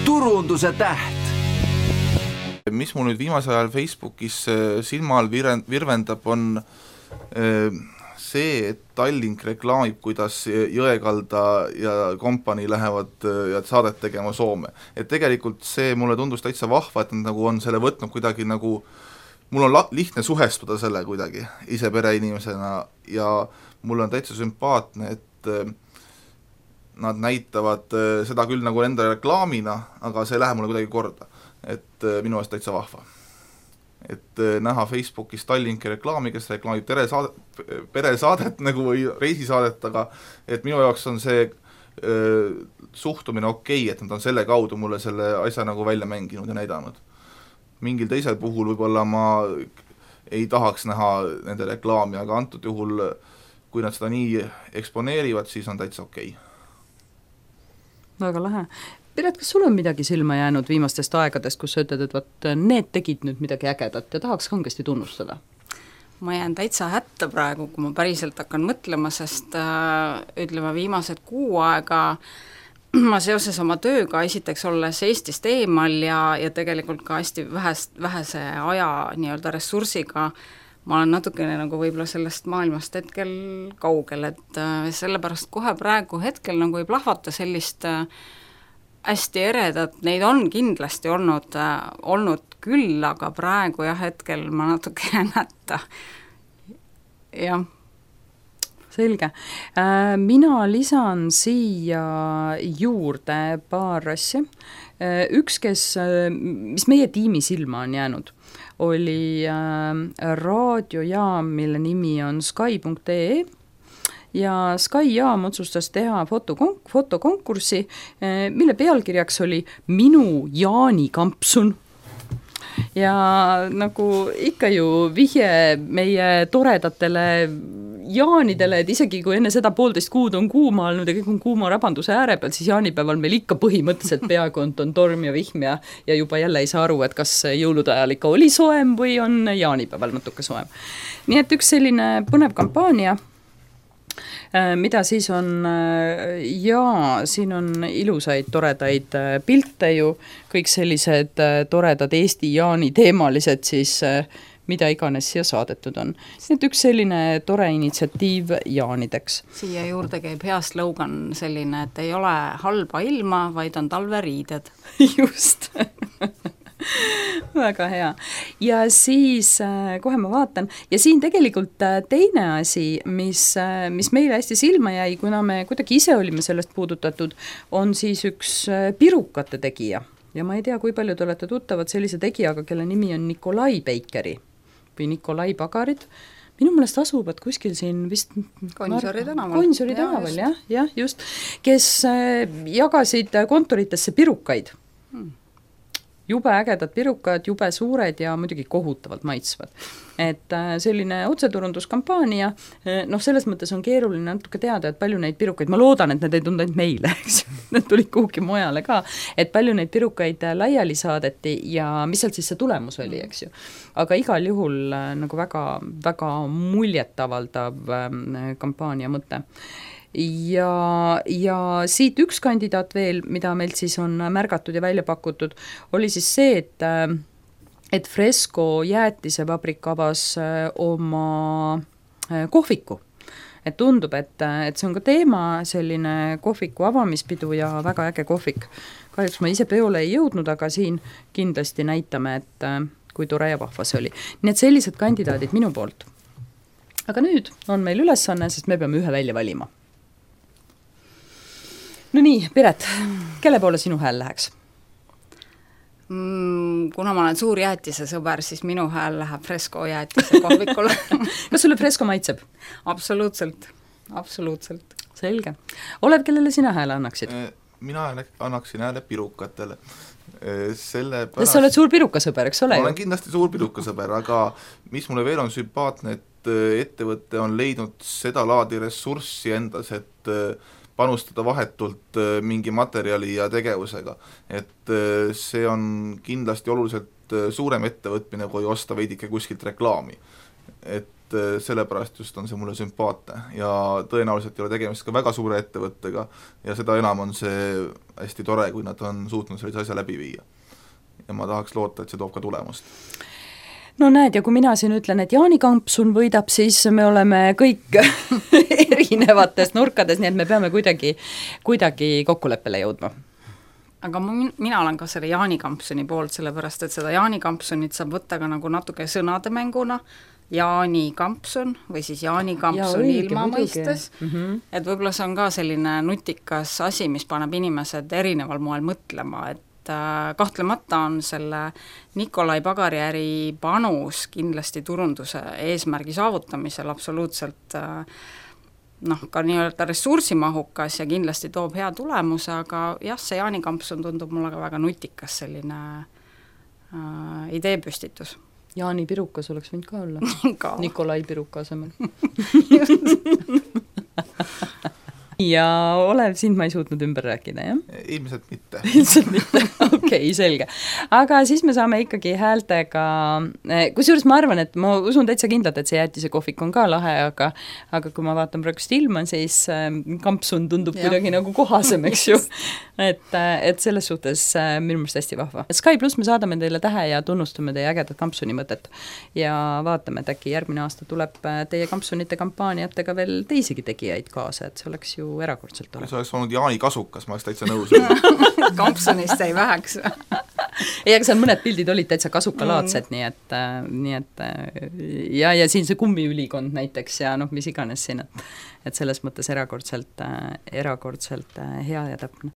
turunduse täht. Mis mul nüüd viimasel ajal Facebookis silma all virvendab, on see, et Tallink reklaamib, kuidas Jõekalda ja kompanii lähevad ja saadet tegema Soome. Et tegelikult see mulle tundus täitsa vahva, et nad nagu on selle võtnud kuidagi nagu, mul on lihtne suhestuda selle kuidagi ise pereinimesena ja mul on täitsa sümpaatne, et nad näitavad seda küll nagu enda reklaamina, aga see läheb mulle kuidagi korda. Et minu eest täitsa vahva. Et näha Facebookis Tallinki reklaami, kes reklaamib peresaadet nagu või reisisaadet, aga et minu jaoks on see suhtumine okei, et nad on selle kaudu mulle selle asja nagu välja mänginud ja näidanud. Mingil teisel puhul võib-olla ma ei tahaks näha nende reklaami, aga antud juhul, kui nad seda nii eksponeerivad, siis on täitsa okei. Väga lahe. Piret, kas sul on midagi silma jäänud viimastest aegadest, kus sa ütled, et võt, need tegid nüüd midagi ägedat ja tahaks kangesti tunnustada? Ma jään täitsa hätta praegu, kui ma päriselt hakkan mõtlema, sest ütleme viimased 6 aega ma seoses oma tööga esiteks olles Eestist eemal ja tegelikult ka hästi vähese aja nii-öelda ressursiga ma olen natukene nagu võib-olla sellest maailmast hetkel kaugel, et sellepärast kohe praegu hetkel nagu ei plahvata sellist hästi eredat, neid on kindlasti olnud küll, aga praegu jah, hetkel ma natuke hätta. Jah. Selge. Mina lisan siia juurde paar asja. Üks, mis meie tiimi silma on jäänud, oli raadiojaam, mille nimi on sky.ee ja Sky jaam otsustas teha fotokonkurssi, mille pealkirjaks oli Minu Jaani kampsun. Ja nagu ikka ju vihje meie toredatele jaanidele, et isegi kui enne seda 1,5 kuud on kuuma olnud ja kõik on kuuma rabanduse ääre peal, siis jaanipäeval meil ikka põhimõtteliselt peaaegu on torm ja vihm ja juba jälle ei saa aru, et kas jõulude ajal ikka oli soem või on jaanipäeval natuke soem. Nii et üks selline põnev kampaania, mida siis on, siin on ilusaid, toredaid pilte ju, kõik sellised toredad Eesti jaani teemalised siis, mida iganes siia saadetud on. Nii et üks selline tore initsiatiiv jaanideks. Siia juurde käib hea slogan selline, et ei ole halba ilma, vaid on talveriided. Just. Väga hea. Ja siis kohe ma vaatan. Ja siin tegelikult teine asi, mis meile hästi silma jäi, kuna me kuidagi ise olime sellest puudutatud, on siis üks pirukate tegija. Ja ma ei tea, kui palju te olete tuttavad sellise tegijaga, kelle nimi on Nikolai Beikeri või Nikolai Pagarid. Minu meelest asuvad kuskil siin vist Gonsiori tänaval. Gonsiori tänaval, jah, just. Kes jagasid kontoritesse pirukaid. Jube ägedad pirukad, jube suured ja muidugi kohutavalt maitsvad. Et selline otseturunduskampaania, selles mõttes on keeruline natuke teada, et palju neid pirukaid, ma loodan, et need ei tundu ainult meile, eks. Need tulid kuhugi mujale ka, et palju neid pirukaid laiali saadeti ja mis sealt siis see tulemus oli, eks ju. Aga igal juhul nagu väga, väga muljetavaldav kampaania mõte. Ja siit üks kandidaat veel, mida meilt siis on märgatud ja välja pakutud, oli siis see, et Fresco jäätisevabrik avas oma kohviku. Et tundub, et see on ka teema, selline kohviku avamispidu ja väga äge kohvik. Kahjuks ma ise peole ei jõudnud, aga siin kindlasti näitame, et kui tore ja vahva see oli. Nii et sellised kandidaadid minu poolt. Aga nüüd on meil ülesanne, sest me peame ühe välja valima. No nii, Piret, kelle poole sinu hääl läheks? Kuna ma olen suur jäätise sõber, siis minu hääl läheb Fresco jäätise kohvikule. Kas sulle Fresco maitseb? Absoluutselt. Selge. Olev, kellele sina hääle annaksid? Mina annaksin hääle pirukatele. Sa oled suur pirukasõber, eks ole? Ma olen kindlasti suur pirukasõber, aga mis mulle veel on sümpaatne, et ettevõtte on leidnud seda laadi ressurssi endas, et panustada vahetult mingi materjali ja tegevusega. Et see on kindlasti oluliselt suurem ettevõtmine, kui osta veidike kuskilt reklaami. Et et sellepärast just on see mulle sümpaatne ja tõenäoliselt ei ole tegemist ka väga suure ettevõttega ja seda enam on see hästi tore, kui nad on suutnud sellise asja läbi viia. Ja ma tahaks loota, et see toob ka tulemust. No näed, ja kui mina siin ütlen, et Jaani Kampsun võidab, siis me oleme kõik erinevates nurkades, nii et me peame kuidagi kokkuleppele jõudma. Aga mina olen ka selle Jaani Kampsuni poolt, sellepärast et seda Jaani Kampsunit saab võtta ka nagu natuke sõnademänguna, Jaani Kampsun või siis Jaani Kampsun ilma mõistes, et võib-olla see on ka selline nutikas asi, mis paneb inimesed erineval moel mõtlema, et kahtlemata on selle Nikolai pagariäri panus kindlasti turunduse eesmärgi saavutamisel absoluutselt ka nii-öelda ressursimahukas ja kindlasti toob hea tulemuse, aga jah, see Jaani Kampsun tundub mulle ka väga nutikas selline ideepüstitus. Jaani Pirukas oleks võinud ka olla. Ka. Nikolai Piruka asemel. Ja Olev, sind ma ei suutnud ümber rääkida, jah? Ilmselt mitte. Ilmselt mitte, okei, selge. Aga siis me saame ikkagi häältega, kusjuures ma arvan, et ma usun täitsa kindlalt, et see jäätise kohvik on ka lahe, aga kui ma vaatan praegust ilma, siis Kampsun tundub kuidagi nagu kohasem, eks ju. Et selles suhtes minu meelest hästi vahva. Sky Plus me saadame teile tähe ja tunnustame teie ägedat Kampsuni mõtet ja vaatame, et äkki järgmine aasta tuleb teie Kampsunite kampaaniatega veel teisigi tegijaid kaasa, et see oleks ju erakordselt tore. See oleks olnud Jaani Kasukas, ma oleks täitsa nõus. Kampsunist ei väheks. Ei, aga seal mõned pildid olid täitsa kasukalaadsed, nii et ja siin see kummiülikond näiteks ja mis iganes siin, et selles mõttes erakordselt hea ja täpne.